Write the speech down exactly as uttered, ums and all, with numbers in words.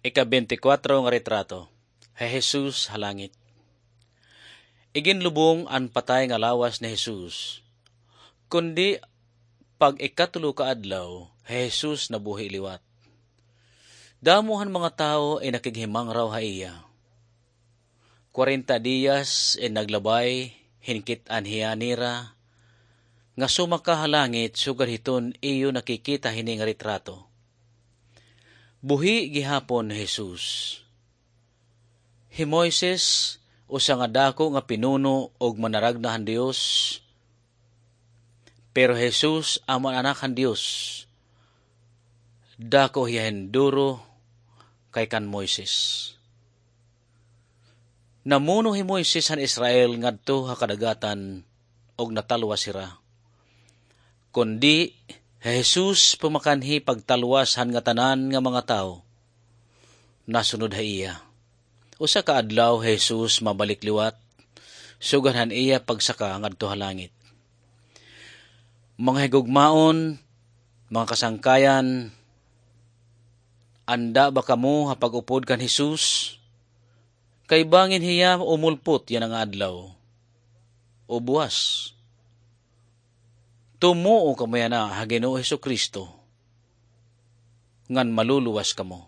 Ika-bente kwatro nga retrato, hi Jesus ha langit. Iginlubong an patay nga lawas ni Jesus, kundi pag-ikatulo ka adlaw, hi Jesus nabuhi liwat. Damo han mga tawo in nakighimangraw ha iya. Kwarenta diyas in naglabay hin kit-an hiya nira nga sumaka ha langit sugad hiton iyo nakikita hini nga retrato. Buhi gihapon hi Jesus. Hi Moises, usa nga dako nga pinuno ug manaragna han Dios, pero hi Jesus amo an Anak han Dios. Dako hiya hin duro kay kan Moises. Namuno hi Moises han Israel ngadto ha kadagatan ug natalwas hira. Kundi hi Jesus pamakanhi pagtalwas han ngatanan nga mga tawo, nasunod ha iya. Usa ka adlaw hi Jesus mabalik liwat, sugad han iya pagsaka ngadto ha langit. Mga higugmaon, mga kasangkayan, anda ba kamo ha pag-upod kan Jesus? Kay bangin hiya umulpot yana nga adlaw o buwas. Tumuo kamo yana ha Ginoo Jesu-Cristo, ngan maluluwas kamo.